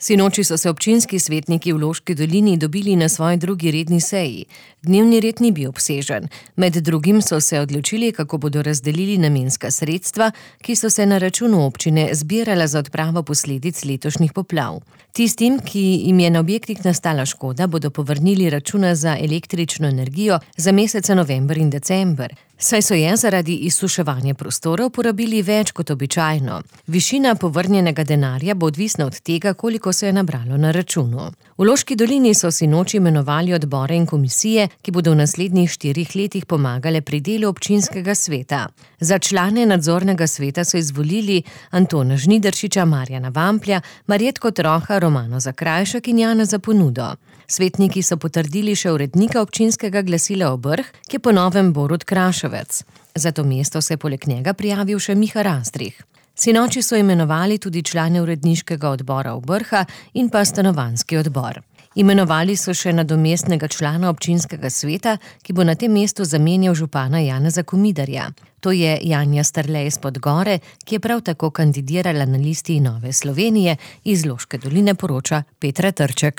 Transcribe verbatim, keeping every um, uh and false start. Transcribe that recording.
Sinoči so se občinski svetniki v Loški dolini dobili na svoji drugi redni seji. Dnevni red ni bil obsežen. Med drugim so se odločili, kako bodo razdelili namenska sredstva, ki so se na računu občine zbirala za odpravo posledic letošnjih poplav. Tistim, ki jim je na objektih nastala škoda, bodo povrnili računa za električno energijo za mesece november in december. Saj so je zaradi izsuševanja prostorov porabili več kot običajno. Višina povrnjenega denarja bo odvisna od tega, koliko se je nabralo na računu. V Loški dolini so sinoči imenovali odbore in komisije, ki bodo v naslednjih štirih letih pomagale pri delu občinskega sveta. Za člane nadzornega sveta so izvolili Antona Žnidaršiča, Marjana Vamplja, Marjetko Troha, Romano Zakrajšek in Jana Zaponudo. Svetniki so potrdili še urednika občinskega glasila Obrh, ki je po novem Borut Kraševec. Za to mesto se je poleg njega prijavil še Miha Rastrih. Sinoči so imenovali tudi člane uredniškega odbora Obrha in pa stanovanjski odbor. Imenovali so še nadomestnega člana občinskega sveta, ki bo na tem mestu zamenjal župana Janeza Komidarja. To je Janja Strlej iz Podgore, ki je prav tako kandidirala na listi Nove Slovenije. Iz Loške doline poroča Petra Trček.